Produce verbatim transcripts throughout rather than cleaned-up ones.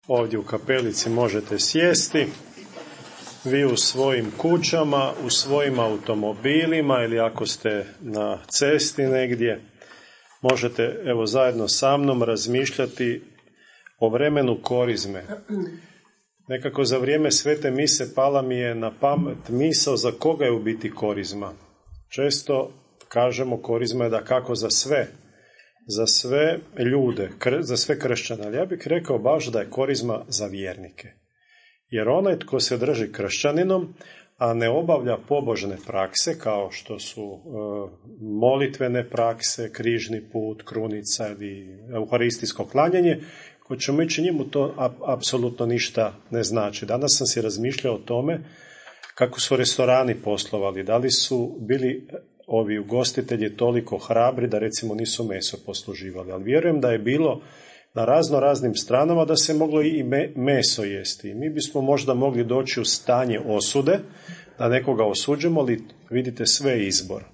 Ovdje u kapelici možete sjesti, vi u svojim kućama, u svojim automobilima ili ako ste na cesti negdje, možete evo zajedno sa mnom razmišljati o vremenu korizme. Nekako za vrijeme svete mise pala mi je na pamet misao za koga je u biti korizma. Često kažemo korizma je da kako za sve, za sve ljude, za sve kršćane, ali ja bih rekao baš da je korizma za vjernike. Jer onaj tko se drži kršćaninom, a ne obavlja pobožne prakse kao što su e, molitvene prakse, križni put, krunica ili euharistijsko klanjanje, ko ćemo ići njemu to a, apsolutno ništa ne znači. Danas sam si razmišljao o tome kako su restorani poslovali, da li su bili ovi ugostitelji toliko hrabri da recimo nisu meso posluživali, ali vjerujem da je bilo na razno raznim stranama da se moglo i meso jesti. Mi bismo možda mogli doći u stanje osude, da nekoga osuđemo, ali vidite sve je izbor.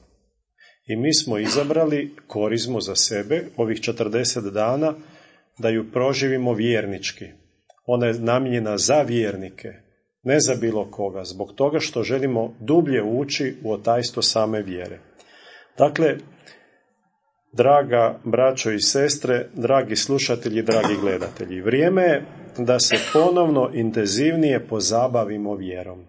I mi smo izabrali korizmu za sebe, ovih četrdeset dana, da ju proživimo vjernički. Ona je namijenjena za vjernike, ne za bilo koga, zbog toga što želimo dublje ući u otajstvo same vjere. Dakle, draga braćo i sestre, dragi slušatelji, dragi gledatelji, vrijeme je da se ponovno intenzivnije pozabavimo vjerom.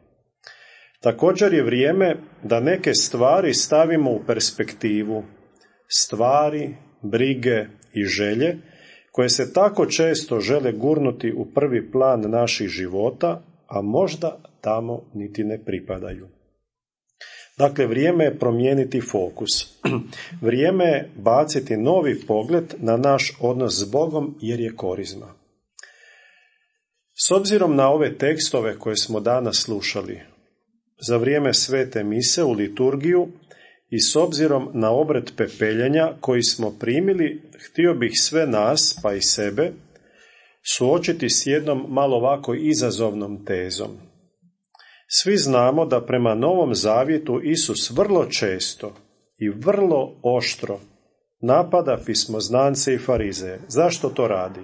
Također je vrijeme da neke stvari stavimo u perspektivu, stvari, brige i želje koje se tako često žele gurnuti u prvi plan naših života, a možda tamo niti ne pripadaju. Dakle, vrijeme je promijeniti fokus. Vrijeme je baciti novi pogled na naš odnos s Bogom jer je korizma. S obzirom na ove tekstove koje smo danas slušali za vrijeme svete mise u liturgiju i s obzirom na obred pepeljenja koji smo primili, htio bih sve nas, pa i sebe, suočiti s jednom malo ovako izazovnom tezom. Svi znamo da prema Novom Zavjetu Isus vrlo često i vrlo oštro napada pismoznance i farizeje. Zašto to radi?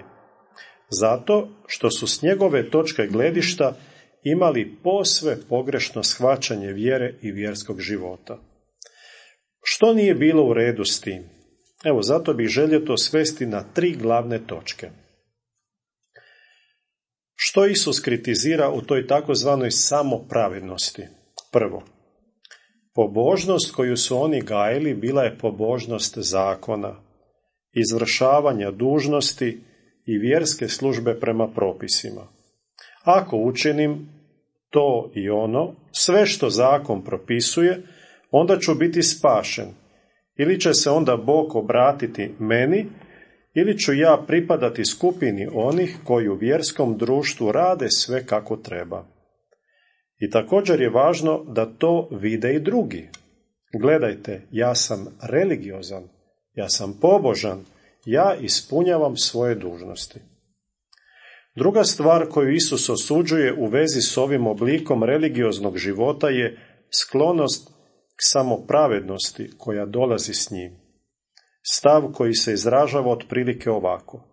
Zato što su s njegove točke gledišta imali posve pogrešno shvaćanje vjere i vjerskog života. Što nije bilo u redu s tim? Evo, zato bih želio to svesti na tri glavne točke. Što Isus kritizira u toj takozvanoj samopravednosti? Prvo, pobožnost koju su oni gajili bila je pobožnost zakona, izvršavanja dužnosti i vjerske službe prema propisima. Ako učinim to i ono, sve što zakon propisuje, onda ću biti spašen. Ili će se onda Bog obratiti meni, ili ću ja pripadati skupini onih koji u vjerskom društvu rade sve kako treba. I također je važno da to vide i drugi. Gledajte, ja sam religiozan, ja sam pobožan, ja ispunjavam svoje dužnosti. Druga stvar koju Isus osuđuje u vezi s ovim oblikom religioznog života je sklonost k samopravednosti koja dolazi s njim. Stav koji se izražava otprilike ovako.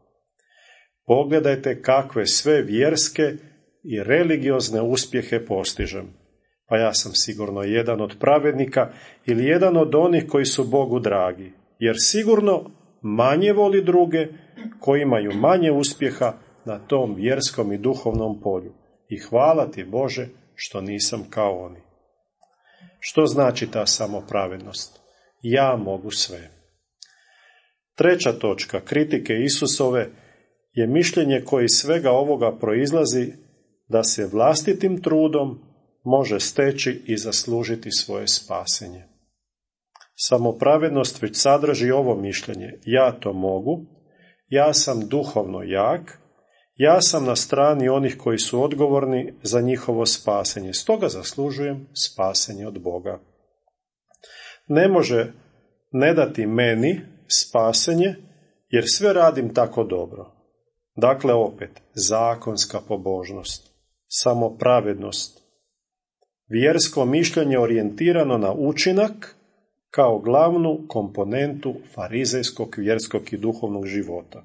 Pogledajte kakve sve vjerske i religiozne uspjehe postižem. Pa ja sam sigurno jedan od pravednika ili jedan od onih koji su Bogu dragi, jer sigurno manje voli druge koji imaju manje uspjeha na tom vjerskom i duhovnom polju. I hvala ti Bože što nisam kao oni. Što znači ta samopravednost? Ja mogu sve. Treća točka kritike Isusove je mišljenje koje iz svega ovoga proizlazi da se vlastitim trudom može steći i zaslužiti svoje spasenje. Samopravednost već sadrži ovo mišljenje. Ja to mogu, ja sam duhovno jak, ja sam na strani onih koji su odgovorni za njihovo spasenje, stoga zaslužujem spasenje od Boga. Ne može ne dati meni spasenje, jer sve radim tako dobro. Dakle, opet, zakonska pobožnost, samopravednost, vjersko mišljenje orijentirano na učinak kao glavnu komponentu farizejskog, vjerskog i duhovnog života.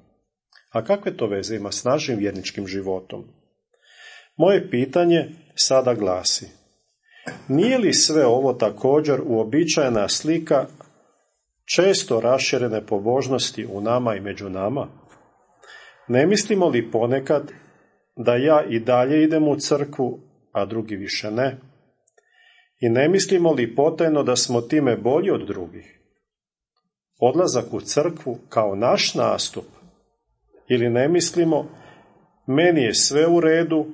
A kakve to veze ima s našim vjerničkim životom? Moje pitanje sada glasi: nije li sve ovo također uobičajena slika često raširene pobožnosti u nama i među nama? Ne mislimo li ponekad da ja i dalje idem u crkvu, a drugi više ne? I ne mislimo li potajno da smo time bolji od drugih? Odlazak u crkvu kao naš nastup? Ili ne mislimo, meni je sve u redu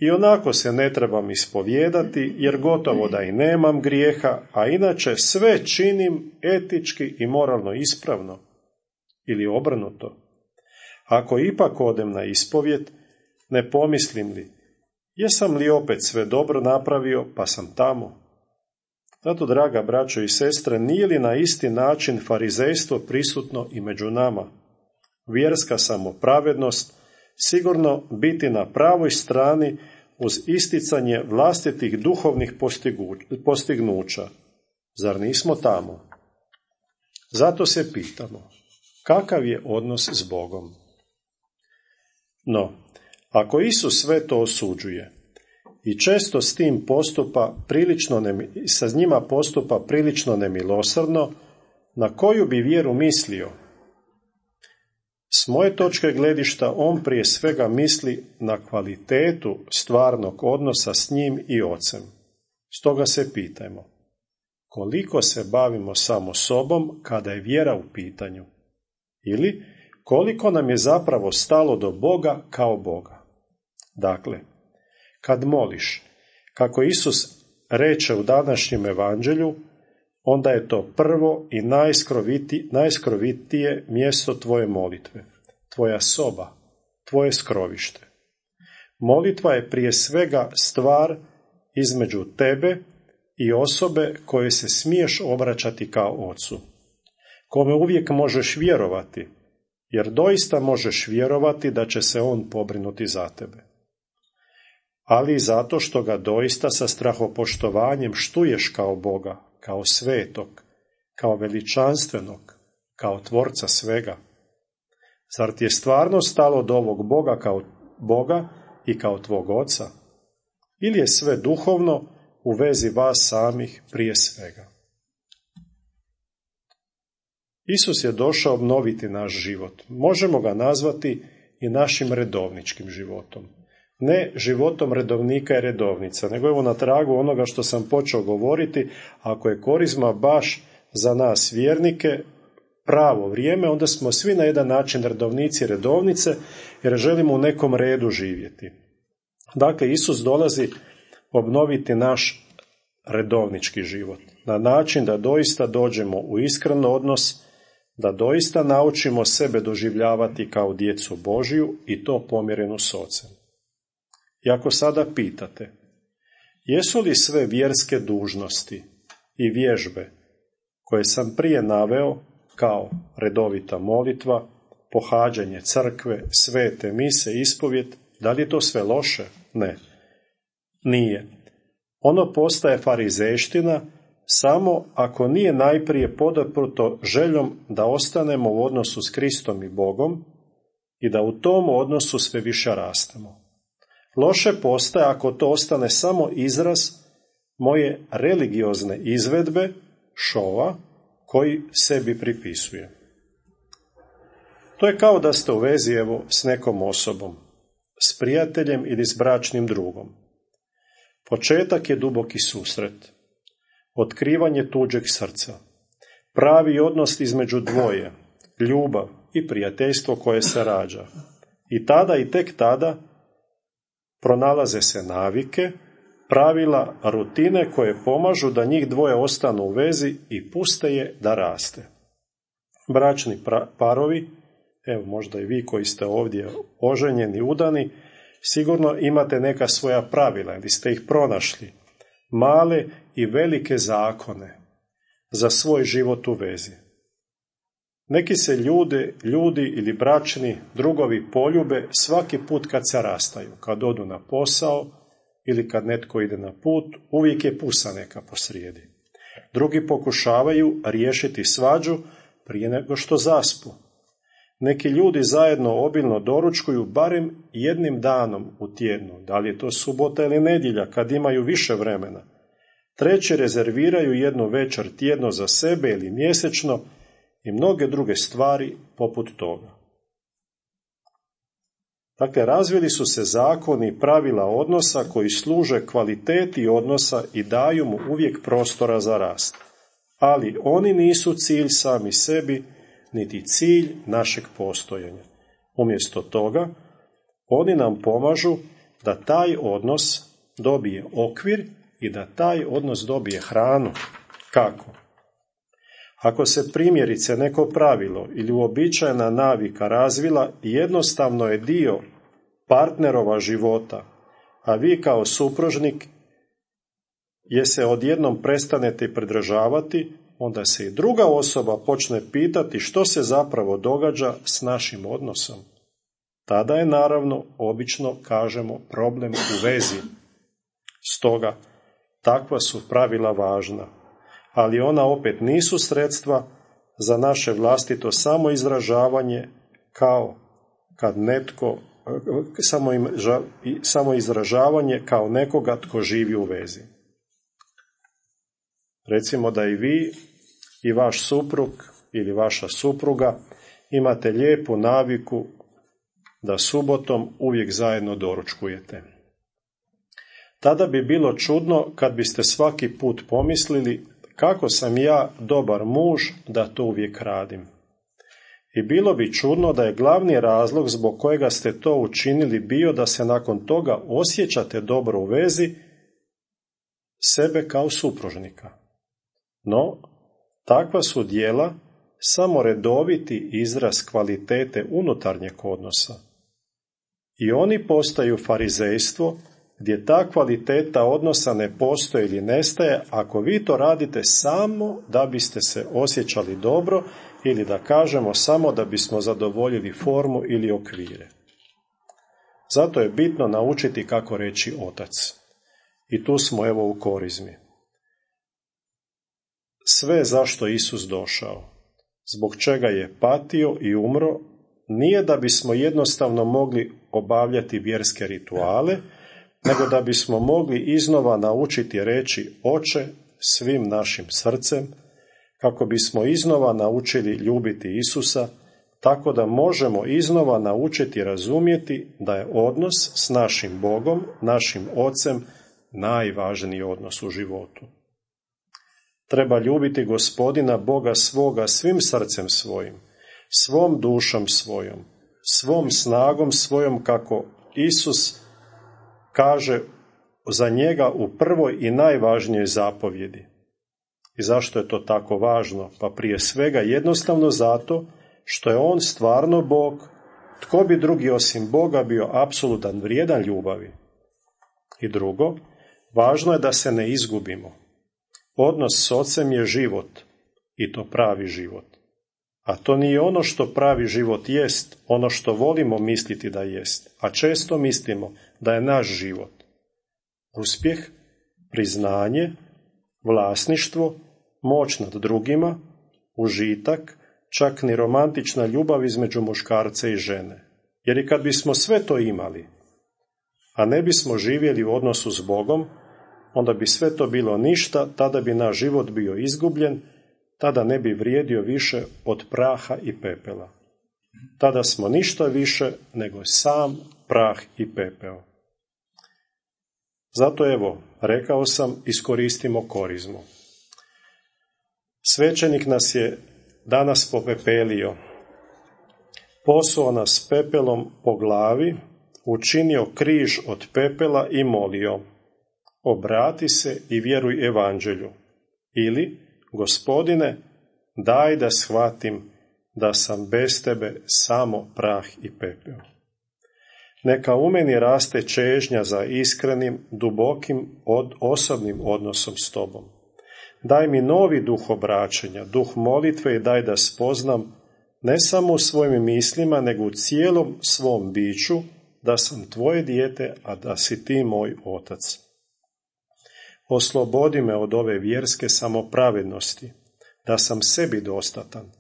i onako se ne trebam ispovijedati jer gotovo da i nemam grijeha, a inače sve činim etički i moralno ispravno? Ili obrnuto? Ako ipak odem na ispovjed, ne pomislim li, jesam li opet sve dobro napravio pa sam tamo? Zato, draga braćo i sestre, nije li na isti način farizejstvo prisutno i među nama? Vjerska samopravednost, sigurno biti na pravoj strani uz isticanje vlastitih duhovnih postignuća. Zar nismo tamo? Zato se pitamo, kakav je odnos s Bogom? No, ako Isus sve to osuđuje i često s tim postupa prilično ne, sa njima postupa prilično nemilosrdno, na koju bi vjeru mislio? S moje točke gledišta on prije svega misli na kvalitetu stvarnog odnosa s njim i Ocem. Stoga se pitajmo, koliko se bavimo samo sobom kada je vjera u pitanju? Ili koliko nam je zapravo stalo do Boga kao Boga? Dakle, kad moliš, kako Isus reče u današnjem evanđelju, onda je to prvo i najskroviti, najskrovitije mjesto tvoje molitve, tvoja soba, tvoje skrovište. Molitva je prije svega stvar između tebe i osobe koje se smiješ obraćati kao Ocu, kome uvijek možeš vjerovati, jer doista možeš vjerovati da će se on pobrinuti za tebe. Ali i zato što ga doista sa strahopoštovanjem štuješ kao Boga, kao svetog, kao veličanstvenog, kao tvorca svega. Zar ti je stvarno stalo do ovog Boga kao Boga i kao tvog Oca? Ili je sve duhovno u vezi vas samih prije svega? Isus je došao obnoviti naš život. Možemo ga nazvati i našim redovničkim životom. Ne životom redovnika i redovnica, nego evo na tragu onoga što sam počeo govoriti, ako je korizma baš za nas vjernike pravo vrijeme, onda smo svi na jedan način redovnici i redovnice, jer želimo u nekom redu živjeti. Dakle, Isus dolazi obnoviti naš redovnički život, na način da doista dođemo u iskren odnos, da doista naučimo sebe doživljavati kao djecu Božju i to pomirenu s Ocem. I ako sada pitate, jesu li sve vjerske dužnosti i vježbe koje sam prije naveo, kao redovita molitva, pohađanje crkve, svete mise, ispovjed, da li je to sve loše? Ne. Nije. Ono postaje farizejština samo ako nije najprije podaprto željom da ostanemo u odnosu s Kristom i Bogom i da u tom odnosu sve više rastemo. Loše postaje ako to ostane samo izraz moje religiozne izvedbe, šova, koji sebi pripisuje. To je kao da ste u vezi evo s nekom osobom, s prijateljem ili s bračnim drugom. Početak je duboki susret, otkrivanje tuđeg srca, pravi odnos između dvoje, ljubav i prijateljstvo koje se rađa. I tada i tek tada pronalaze se navike, pravila, rutine koje pomažu da njih dvoje ostanu u vezi i puste je da raste. Bračni parovi, evo možda i vi koji ste ovdje oženjeni, udani, sigurno imate neka svoja pravila ili ste ih pronašli, male i velike zakone za svoj život u vezi. Neki se ljudi, ljudi ili bračni drugovi poljube svaki put kad se rastaju, kad odu na posao ili kad netko ide na put, uvijek je pusa neka posrijedi. Drugi pokušavaju riješiti svađu prije nego što zaspu. Neki ljudi zajedno obilno doručkuju barem jednim danom u tjednu, da li je to subota ili nedjelja kad imaju više vremena. Treći rezerviraju jednu večer tjedno za sebe ili mjesečno i mnoge druge stvari poput toga. Dakle, razvili su se zakoni i pravila odnosa koji služe kvaliteti odnosa i daju mu uvijek prostora za rast. Ali oni nisu cilj sami sebi, niti cilj našeg postojanja. Umjesto toga, oni nam pomažu da taj odnos dobije okvir i da taj odnos dobije hranu. Kako? Ako se primjerice neko pravilo ili uobičajena navika razvila, jednostavno je dio partnerova života, a vi kao supružnik je se odjednom prestanete pridržavati, onda se i druga osoba počne pitati što se zapravo događa s našim odnosom. Tada je naravno, obično kažemo, problem u vezi. Stoga, takva su pravila važna, ali ona opet nisu sredstva za naše vlastito samoizražavanje, kao kad netko, samo, im, samo izražavanje kao nekoga tko živi u vezi. Recimo da i vi i vaš suprug ili vaša supruga imate lijepu naviku da subotom uvijek zajedno doručkujete. Tada bi bilo čudno kad biste svaki put pomislili kako sam ja dobar muž da to uvijek radim. I bilo bi čudno da je glavni razlog zbog kojega ste to učinili bio da se nakon toga osjećate dobro u vezi sebe kao supružnika. No, takva su djela samo redoviti izraz kvalitete unutarnjeg odnosa. I oni postaju farizejstvo, gdje ta kvaliteta odnosa ne postoji ili nestaje ako vi to radite samo da biste se osjećali dobro ili da kažemo samo da bismo zadovoljili formu ili okvire. Zato je bitno naučiti kako reći otac. I tu smo evo u korizmi. Sve zašto Isus došao, zbog čega je patio i umro, nije da bismo jednostavno mogli obavljati vjerske rituale, nego da bismo mogli iznova naučiti reći Oče svim našim srcem, kako bismo iznova naučili ljubiti Isusa, tako da možemo iznova naučiti razumjeti da je odnos s našim Bogom, našim Ocem, najvažniji odnos u životu. Treba ljubiti Gospodina Boga svoga svim srcem svojim, svom dušom svojom, svom snagom svojom, kako Isus kaže za njega u prvoj i najvažnijoj zapovjedi. I zašto je to tako važno? Pa prije svega jednostavno zato što je on stvarno Bog. Tko bi drugi osim Boga bio apsolutan vrijedan ljubavi? I drugo, važno je da se ne izgubimo. Odnos s Ocem je život, i to pravi život. A to nije ono što pravi život jest, ono što volimo misliti da jest, a često mislimo da je naš život. Uspjeh, priznanje, vlasništvo, moć nad drugima, užitak, čak ni romantična ljubav između muškarca i žene. Jer i kad bismo sve to imali, a ne bismo živjeli u odnosu s Bogom, onda bi sve to bilo ništa, tada bi naš život bio izgubljen, tada ne bi vrijedio više od praha i pepela. Tada smo ništa više nego sam prah i pepeo. Zato evo, rekao sam, iskoristimo korizmu. Svećenik nas je danas popepelio, posuo nas pepelom po glavi, učinio križ od pepela i molio: obrati se i vjeruj evanđelju. Ili, Gospodine, daj da shvatim da sam bez tebe samo prah i pepeo. Neka u meni raste čežnja za iskrenim, dubokim, od osobnim odnosom s tobom. Daj mi novi duh obraćanja, duh molitve i daj da spoznam ne samo u svojim mislima, nego u cijelom svom biću da sam tvoje dijete, a da si ti moj otac. Oslobodi me od ove vjerske samopravednosti, da sam sebi dostatan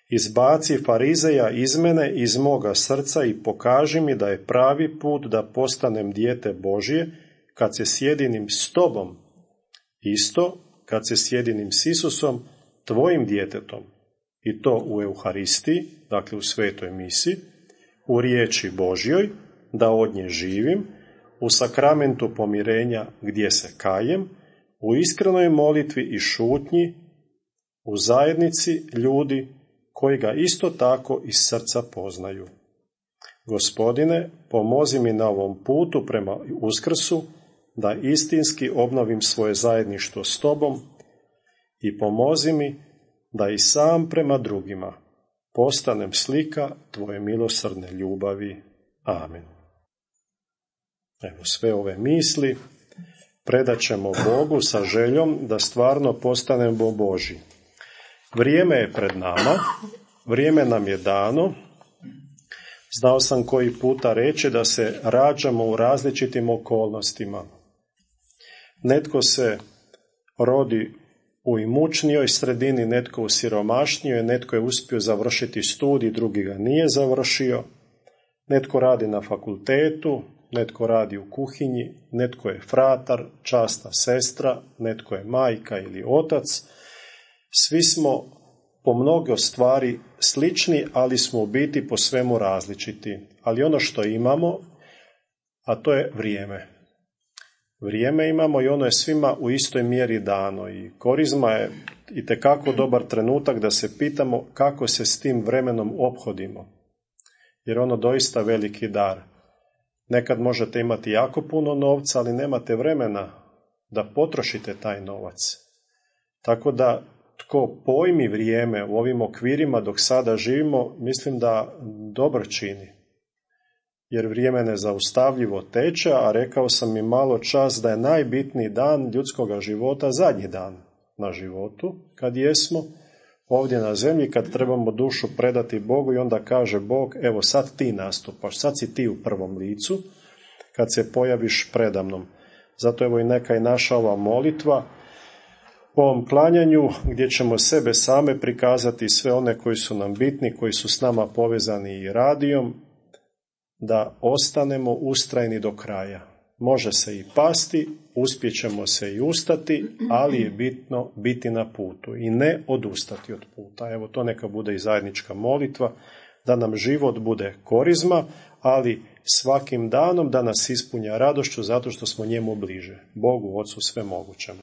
Izbaci farizeja iz mene, iz moga srca i pokaži mi da je pravi put da postanem dijete Božje, kad se sjedinim s tobom, isto kad se sjedinim s Isusom, tvojim djetetom, i to u Euharistiji, dakle u svetoj misi, u riječi Božjoj, da od nje živim, u sakramentu pomirenja gdje se kajem, u iskrenoj molitvi i šutnji, u zajednici ljudi koji ga isto tako iz srca poznaju. Gospodine, pomozi mi na ovom putu prema Uskrsu, da istinski obnovim svoje zajedništvo s tobom i pomozi mi da i sam prema drugima postanem slika tvoje milosrdne ljubavi. Amen. Evo, sve ove misli predat ćemo Bogu sa željom da stvarno postanemo Božji. Vrijeme je pred nama, vrijeme nam je dano. Znao sam koji puta reći da se rađamo u različitim okolnostima. Netko se rodi u imućnijoj sredini, netko u siromašnijoj, netko je uspio završiti studij, drugi ga nije završio, netko radi na fakultetu, netko radi u kuhinji, netko je fratar, časna sestra, netko je majka ili otac. Svi smo po mnogo stvari slični, ali smo u biti po svemu različiti. Ali ono što imamo, a to je vrijeme. Vrijeme imamo i ono je svima u istoj mjeri dano. I korizma je itekako dobar trenutak da se pitamo kako se s tim vremenom ophodimo. Jer ono doista veliki dar. Nekad možete imati jako puno novca, ali nemate vremena da potrošite taj novac. Tako da tko pojmi vrijeme u ovim okvirima dok sada živimo, mislim da dobro čini. Jer vrijeme nezaustavljivo teče, a rekao sam i malo čas da je najbitniji dan ljudskoga života zadnji dan na životu, kad jesmo ovdje na zemlji, kad trebamo dušu predati Bogu i onda kaže Bog, evo sad ti nastupaš, sad si ti u prvom licu, kad se pojaviš predamnom. Zato evo i neka je naša ova molitva u ovom klanjanju gdje ćemo sebe same prikazati, sve one koji su nam bitni, koji su s nama povezani i radijom, da ostanemo ustrajni do kraja. Može se i pasti, uspjećemo se i ustati, ali je bitno biti na putu i ne odustati od puta. Evo, to neka bude i zajednička molitva, da nam život bude korizma, ali svakim danom da nas ispunja radošću zato što smo njemu bliže, Bogu Ocu svemogućem.